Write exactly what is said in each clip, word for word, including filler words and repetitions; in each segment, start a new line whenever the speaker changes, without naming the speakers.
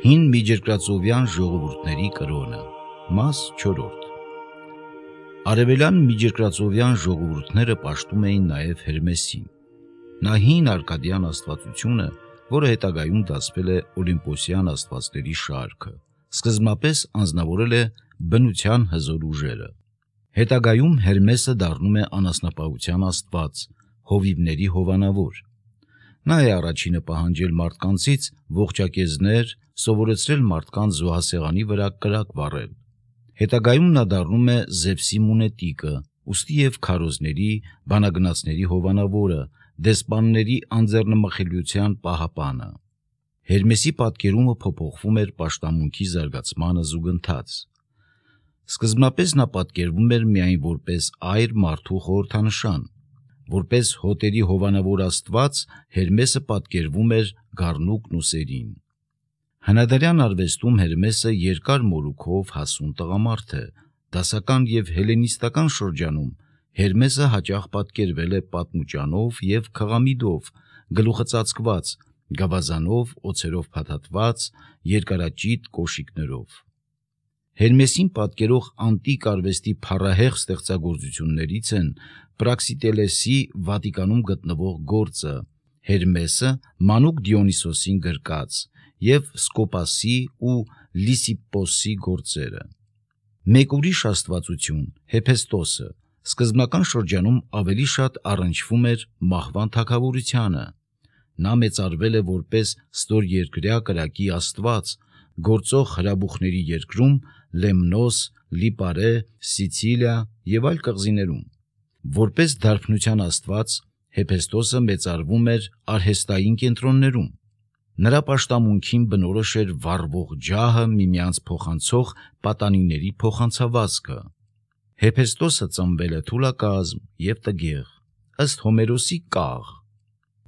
Հին միջերկրածովյան ժողովուրդների կրոնը, մաս չորրորդ։ Արևելյան միջերկրածովյան ժողովուրդները պաշտում էին նաև Հերմեսին։ Նա հին արկադյան աստվածությունը, որը հետագայում դասվել է օլիմպոսյան աստվածների շարքը, սկզբնապես անձնավորել է բնության հզոր ուժերը։ Հետագայում Հերմեսը դառնում է անասնապահության աստված, հովիվների հովանավոր։ Նա է առաջինը պահանջել մարդկանցից ողջակեզներ, սովորեցրել մարդկանց զոհասեղանի վրա կրակ վառել։ Հետագայում նա դառնում է Զևսի մունետիկը, ուստի և քարոզների, բանագնացների հովանավորը, դեսպանների անձեռնմխելիության պահապանը։ Հերմեսի պատկերումը փոփոխվում էր պաշտամունքի զարգացմանը զուգընթաց։ Սկզբնապես նա պատկերվում էր միայն որպես այր մարդու խորհրդանշան։ Որպես հոտերի հովանավոր աստված, Հերմեսը պատկերվում էր գառնուկն ու սերին։ Հնադարյան արվեստում Հերմեսը երկար մորուքով հասուն տղամարդ է։ Դասական և հելենիստական շրջանում Հերմեսը հաճախ պատկերվել է պատմուճանով և քղամիդով, գլուխը ծածկված, գավազանով, օձերով փաթաթված, երկարաճիտ կոշիկներով։ Հերմեսին պատկերող անտիկ արվեստի փառահեղ ստեղծագործություններից են Պրաքսիտելեսի Վատիկանում գտնվող գործը «Հերմեսը մանուկ Դիոնիսոսին գրկած» և Սկոպասի ու Լիսիպպոսի գործերը։ Մեկ ուրիշ աստվածություն Հեփեստոսը սկզբնական շրջանում ավելի շատ առնչվում էր մահվան թագավորությանը։ Նա մեծարվել է որպես ստորերկրյա կրակի աստված, գործող հրաբուխների երկրում Լեմնոս, Լիպարե, Սիցիլիա և այլ կղզիներում։ Որպես դարբնության աստված Հեփեստոսը մեծարվում էր արհեստային կենտրոններում։ Նրա պաշտամունքին բնորոշ էր վառվող ջահը միմյանց փոխանցող պատանիների փոխանցավազքը։ Հեփեստոսը ծնվել է թուլակազմ և տգեղ, ըստ Հոմերոսի կաղ։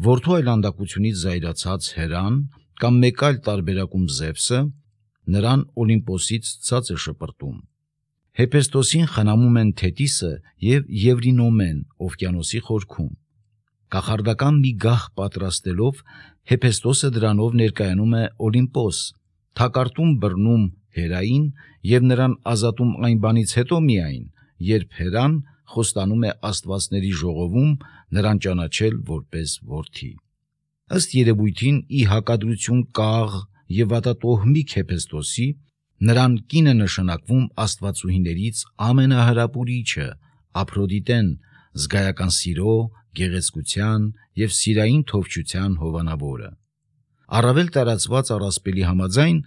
Որդու այլանդակությունից զայրացած Հերան կամ մեկ այլ տարբերակում Զևսը նրան Օլիմպոսից ցած է շպրտում։ Հեփեստոսին խնամում են Թետիսը և Եվրինոմեն օվկիանոսի խորքում։ Կախարդական մի գահ պատրաստելով Հեփեստոսը դրանով ներկայանում է Օլիմպոս, թակարդում բռնում Հերային և նրան ազատում այն բանից հետո միայն, երբ Հերան խոստանում է աստվածների ժողովում նրան ճանաչել որպես որդի։ Ըստ երևույթին, ի հակադրություն կաղ և վատատոհմիկ Հեփեստոսի, նրան կին է նշանակվում աստվածուհիներից ամենահրապուրիչը՝ Ափրոդիտեն, զգայական սիրո, գեղեցկության և սիրային թովչության հովանավորը։ Առավել տարածված առասպելի համաձայն,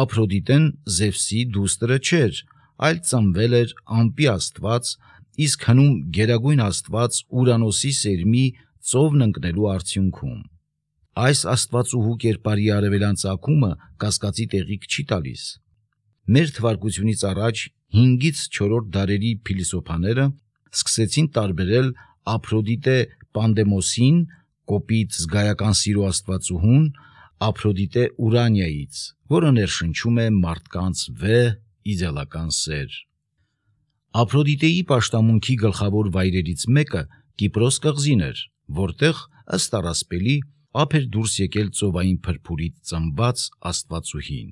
Ափրոդիտեն Զևսի դուստրը չէր, այլ ծնվել էր ամպի աստված, իսկ հնում գերագույն աստված Ուրանոսի սերմի ծովն ընկնելու արդյունքում։ Այս աստվածուհու կերպարի արևելյան ծագումը կասկածի տեղիք չի տալիս։ Մեր թվարկությունից առաջ հինգից չորրորդ դարերի փիլիսոփաները սկսեցին տարբերել Ափրոդիտե Պանդեմոսին, կոպիտ զգայական սիրո աստվածուհուն, Ափրոդիտե Ուրանիայից, որը ներշնչում է մարդկանց վեհ իդեալական սեր։ Ափրոդիտեի պաշտամունքի գլխավոր վայրերից մեկը Կիպրոս կղզին էր, որտեղ, ըստ առասպելի, ափ էր դուրս եկել ծովային փրփուրից ծնված աստվածուհին։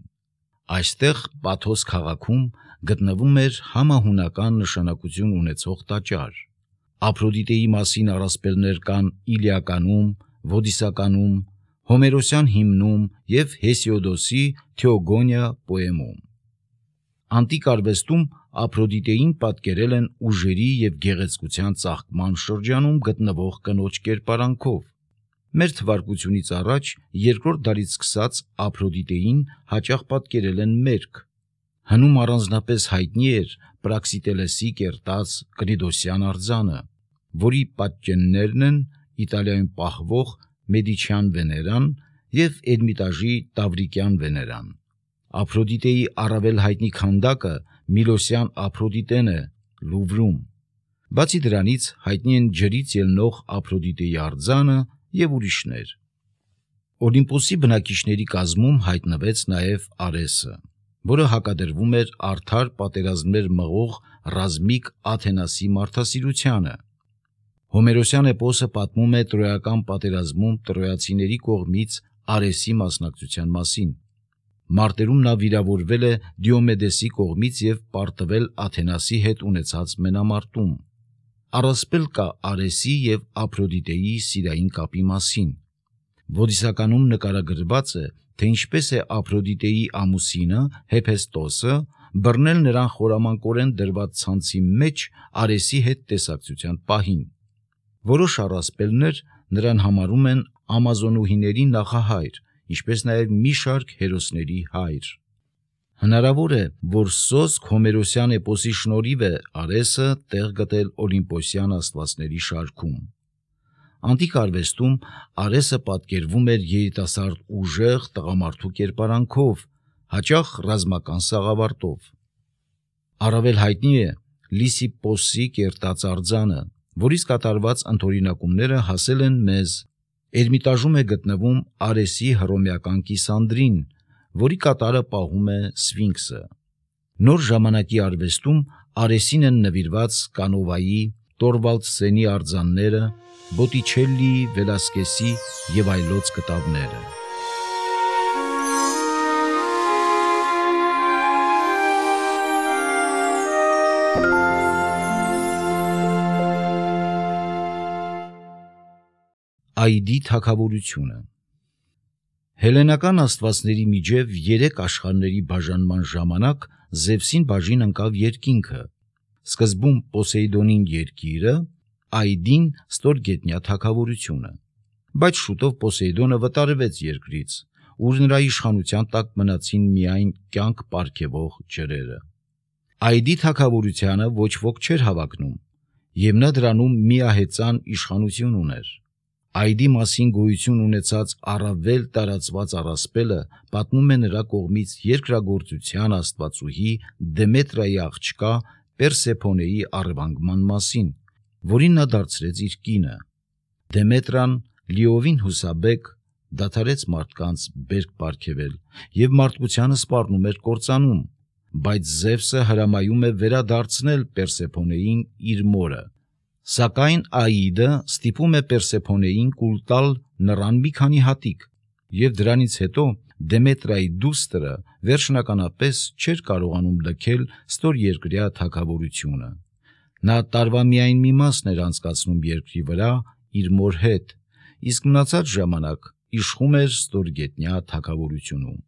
Այստեղ Պաթոս քաղաքում գտնվում էր համահունական նշանակություն ունեցող տաճար։ Ափրոդիտեի մասին առասպելներ կան Իլիականում, Ոդիսականում, Հոմերոսյան հիմնում և Հեսիոդոսի Թեոգոնիա պոեմում։ Անտիկ արվեստում Ափրոդիտեին պատկերել են ուժերի և գեղեցկության ծաղկման շրջանում գտնվող կնոջ կերպարանքով։ Մեր թվարկությունից առաջ երկրորդ դարից սկսած Ափրոդիտեին հաճախ պատկերել են մերկ։ Հնում առանձնապես հայտնի էր Պրաքսիտելեսի կերտած Կնիդոսյան արձանը, որի պատճեններն են Իտալիայում պահվող Մեդիչյան Վեներան և Էրմիտաժի Տավրիկյան Վեներան։ Ափրոդիտեի առավել հայտնի քանդակը Միլոսյան Ափրոդիտեն է Լուվրում։ Բացի դրանից հայտնի են ջրից ելնող Ափրոդիտեի արձանը և ուրիշներ։ Օլիմպոսի բնակիչների կազմում հայտնվեց նաև Արեսը, որը հակադրվում էր արդար պատերազմներ մղող ռազմիկ Աթենասի մարդասիրությանը։ Հոմերոսյան էպոսը պատմում է տրոյական պատերազմում տրոյացիների կողմից Արեսի մասնակցության մասին։ Մարտերում նա վիրավորվել է Դիոմեդեսի կողմից և պարտվել Աթենասի հետ ունեցած մենամարտում։ Առասպել կա Արեսի և Ափրոդիտեի սիրային կապի մասին։ Ոդիսականում նկարագրված է, թե ինչպես է Ափրոդիտեի ամուսինը Հեփեստոսը բռնել նրան խորամանկորեն դրված ցանցի մեջ Արեսի հետ տեսակցության պահին։ Որոշ առասպելներ նրան համարում են ամազոնուհիների նախահայր, ինչպես նաև մի շարք հերոսների հայր։ Հնարավոր է, որ սոսկ հոմերոսյան էպոսի շնորհիվ է Արեսը տեղ գտել օլիմպոսյան աստվածների շարքում։ Անտիկ արվեստում Արեսը պատկերվում էր երիտասարդ ուժեղ տղամարդու կերպարանքով, հաճախ ռազմական սաղավարտով։ Առավել հայտնի է Լիսիպպոսի կերտած արձանը, որից կատարված ընդօրինակումները հասել են մեզ։ Էրմիտաժում է գտնվում Արեսի հռոմեական կիսանդրին, որի կատարը պահում է Սֆինքսը։ Նոր ժամանակի արվեստում Արեսին են նվիրված Կանովայի, Տորվալդսենի արձանները, Բոտիչելլիի, Վելասկեսի և այլոց կտավները։ Այդի թագավորությունը։ Հելենական աստվածների միջև երեք աշխարհների բաժանման ժամանակ Զևսին բաժին ընկավ երկինքը, սկզբում Պոսեյդոնին երկիրը, Այդին ստորգետնյա թագավորությունը։ Բայց շուտով Պոսեյդոնը վտարվեց երկրից, ուր նրա իշխանության տակ մնացին միայն կյանք պարգևող ջրերը։ Այդի թագավորությանը ոչ ոք չէր հավակնում, և նա դրանում միահեծան իշխանություն ուներ։ Այդի մասին գոյություն ունեցած առավել տարածված առասպելը պատմում է նրա կողմից երկրագործության աստվածուհի Դեմետրայի աղջկա Պերսեփոնեի առևանգման մասին, որին նա դարձրեց իր կինը։ Դեմետրան լիովին հուսաբեկ դադարեց մարդկանց բերք պարգևել և մարդկությանը սպառնում էր կործանում, բայց Զևսը հրամայում է վերադարձնել Պերսեփոնեին իր մորը։ Սակայն Աիդը ստիպում է Պերսեփոնեին կուլ տալ նրան մի քանի հատիկ, և դրանից հետո Դեմետրայի դուստրը վերջնականապես չէր կարողանում լքել ստորերկրյա թագավորությունը։ Նա տարվա միայն մի մասն էր անցկացնում երկրի վրա իր մոր հետ, իսկ մնացած ժամանակ իշխում էր ստորգետնյա թագավորությունում։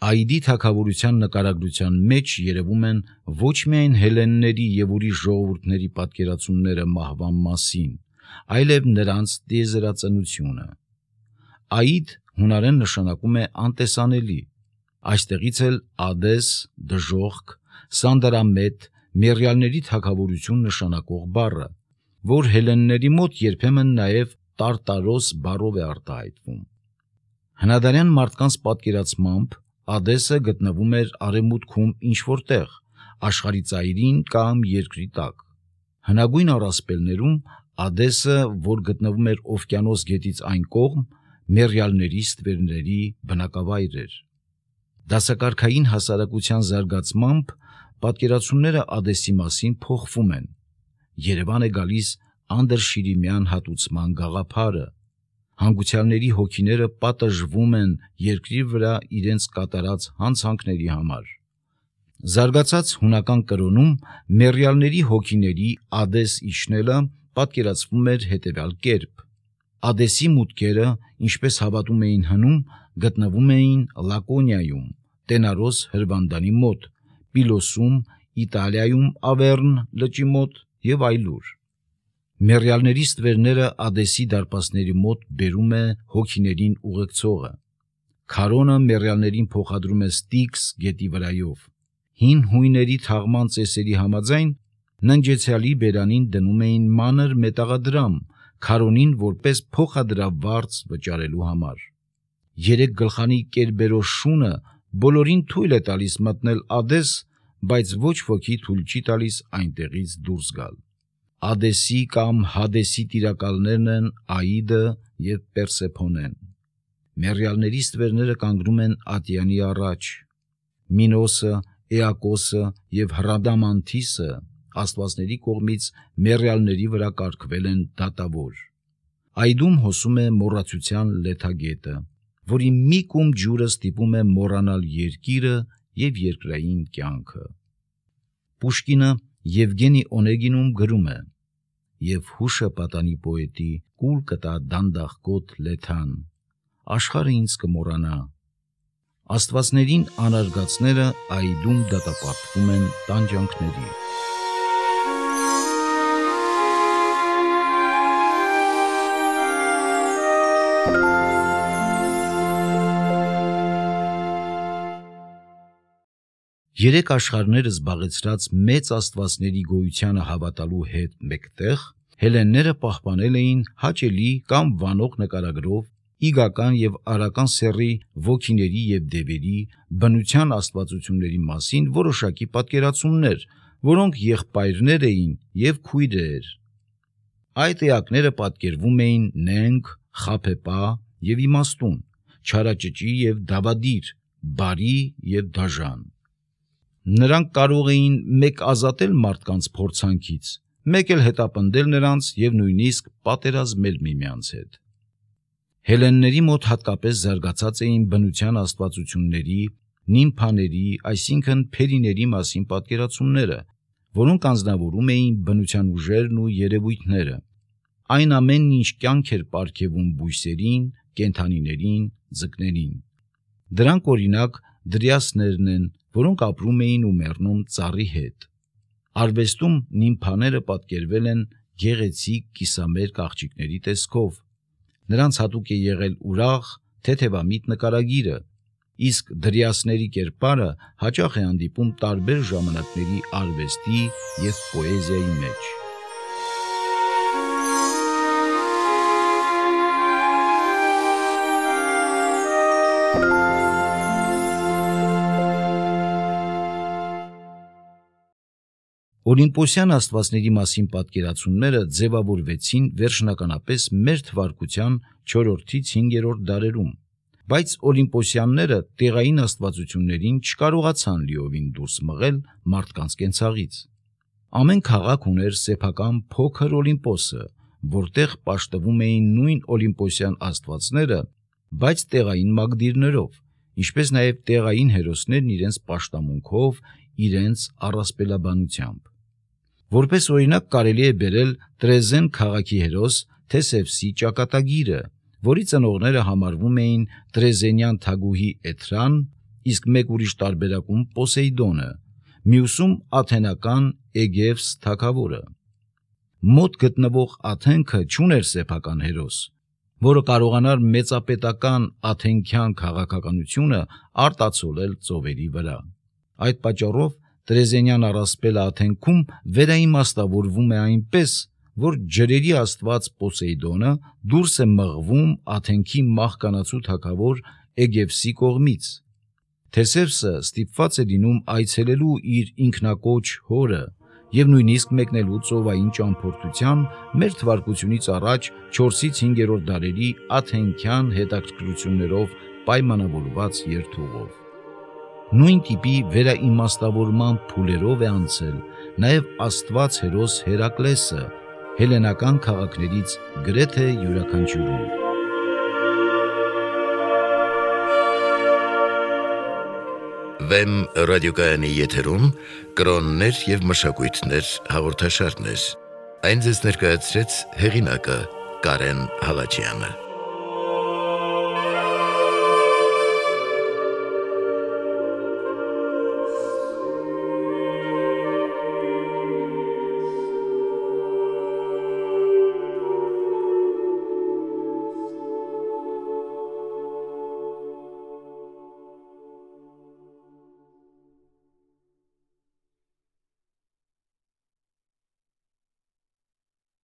Այդի թագավորության նկարագրության մեջ երևում են ոչ միայն հելլենների և ուրիշ ժողովուրդների պատկերացումները մահվան մասին, այլև նրանց տիեզերածնությունը։ Այդ հունարեն նշանակում է անտեսանելի, այստեղից էլ Ադես, դժոխք, Սանդարամետ, մեռյալների թագավորություն նշանակող բառը, որ հելլենների մոտ երբեմն նաև Տարտարոս բառով է արտահայտվում։ Հնադարյան մարդկանց պատկերացմամբ Ադեսը գտնվում էր արևմուտքում ինչ-որ տեղ, աշխարհի ծայրին կամ երկրի տակ։ Հնագույն առասպելներում Ադեսը, որ գտնվում էր Օվկիանոս գետից այն կողմ, մեռյալների ստվերների բնակավայր էր։ Դասակարգային հասարակության զարգացմամբ պատկերացումները Ադեսի մասին փոխվում են։ Երևան է գալիս անդրշիրիմյան հատուցման գաղափարը։ Հանգուցյալների հոգիները պատժվում են երկրի վրա իրենց կատարած հանցանքների համար։ Զարգացած հունական կրոնում մեռյալների հոգիների Ադես իջնելը պատկերացվում էր հետևյալ կերպ. Ադեսի մուտքերը, ինչպես հավատում էին հնում, գտնվում էին Լակոնիայում, Տենարոս հրվանդանի մոտ, Պիլոսում, Իտալիայում Ավեռն լճի մոտ և այլուր։ Մեռյալների ստվերները Ադեսի դարպասների մոտ բերում է հոգիներին ուղեկցողը։ Քարոնը մեռյալներին փոխադրում է Ստիքս գետի վրայով։ Հին հույների թաղման ծեսերի համաձայն ննջեցյալի բերանին դնում էին մանր մետաղադրամ, քարոնին որպես փոխադրավարձ վճարելու համար։ Երեք գլխանի Կերբերոս շունը բոլորին թույլ է տալիս մտնել Ադես, բայց ոչ ոքի թույլ չի տալիս այնտեղից դուրս գալ։ Ադեսի կամ Հադեսի տիրակալներն են Աիդը և Պերսեփոնեն։ Մեռյալների ստվերները կանգնում են Ատյանի առաջ։ Մինոսը, Էակոսը և Հրադամանթիսը աստվածների կողմից մեռյալների վրա կարգվել են դատավոր։ Այդում հոսում է մոռացության լեթագետը, որի մի կում ջուրը ստիպում է մոռանալ երկիրը եւ երկրային կյանքը։ Պուշկինը Եվգենի Օնեգինում գրում է. «Եվ հուշը պատանի պոետի կուլ կտա դանդաղկոտ լեթան, աշխարհը ինձ կմոռանա, աստվածներին անարգածները այդում դատապարտվում են տանջանքների»։ Երեք աշխարհները զբաղեցրած մեծ աստվածների գոյությանը հավատալու հետ մեկտեղ հելենները պահպանել էին հաճելի կամ վանող նկարագրով իգական եւ արական սեռի ոգիների եւ դևերի բնության աստվածությունների մասին որոշակի պատկերացումներ, որոնք եղբայրներ էին եւ քույրեր։ Այդ էակները պատկերվում էին նենգ, խաբեբա եւ իմաստուն, չարաճճի եւ դավադիր, բարի եւ դաժան։ Նրանք կարող էին մեկ ազատել մարդկանց փորձանքից, մեկ էլ հետապնդել նրանց եւ նույնիսկ պատերազմել միմյանց հետ։ Հելենների մոտ հատկապես զարգացած էին բնության աստվածությունների, նիմփաների, այսինքն փերիների մասին պատկերացումները, որոնք անձնավորում էին բնության ուժերն ու երևույթները, այն ամենն ինչ կյանք էր պարգևում բույսերին, կենդանիներին, ձկներին։ Դրանք օրինակ դրիասներն են, որոնք ապրում էին ու մեռնում ծառի հետ։ Արվեստում նիմփաները պատկերվել են գեղեցիկ կիսամերկ աղջիկների տեսքով։ Նրանց հատուկ է եղել ուրախ, թեթևամիտ նկարագիրը, իսկ դրիասների կերպարը հաճախ է հանդիպում տարբեր ժամանակների արվեստի եւ պոեզիայի մեջ։ Օլիմպոսյան աստվածների մասին պատկերացումները ձևավորվեցին վերջնականապես մեր թվարկության չորրորդից հինգերորդ դարերում, բայց օլիմպոսյանները տեղային աստվածություններին չկարողացան լիովին դուրս մղել մարդկանց կենցաղից։ Ամեն քաղաք ուներ սեփական փոքր Օլիմպոսը, որտեղ պաշտվում էին նույն օլիմպոսյան աստվածները, բայց տեղային մագդիրներով, ինչպես նաև տեղային հերոսներն իրենց պաշտամունքով, իրենց առասպելաբանությամբ։ Որպես օրինակ կարելի է բերել Տրեզեն քաղաքի հերոս Թեսևսի ճակատագիրը, որի ծնողները համարվում էին տրեզենյան թագուհի Էթրան, իսկ մեկ ուրիշ տարբերակում Պոսեյդոնը, մյուսում աթենական Էգևս թագավորը։ Մոտ գտնվող Աթենքը չուներ սեփական հերոս, որը կարողանար մեծապետական աթենքյան քաղաքականությունը արտացոլել ծովերի վրա։ Այդ պատճառով Տրեզենյան առասպելը Աթենքում վերաիմաստավորվում է այնպես, որ ջրերի աստված Պոսեյդոնը դուրս է մղվում Աթենքի մահկանացու թագավոր Էգևսի կողմից։ Թեսևսը ստիպված է լինում այցելելու իր ինքնակոչ հորը եւ նույնիսկ մեկնելու ծովային ճամփորդության մեր թվարկությունից առաջ չորսից հինգերորդ դարերի աթենքյան հետաքրքրություններով պայմանավորված երթուղով։ Նույն տիպի վերաիմաստավորման փուլերով է անցել նաև աստված հերոս Հերակլեսը հելենական քաղաքներից գրեթե յուրաքանչյուրում։
Վեմ ռադիոկայանի եթերում կրոններ եւ մշակույթներ հաղորդաշարներ։ Այն ձեզ ներկայացրեց հեղինակը Կարեն Հալաջյանը։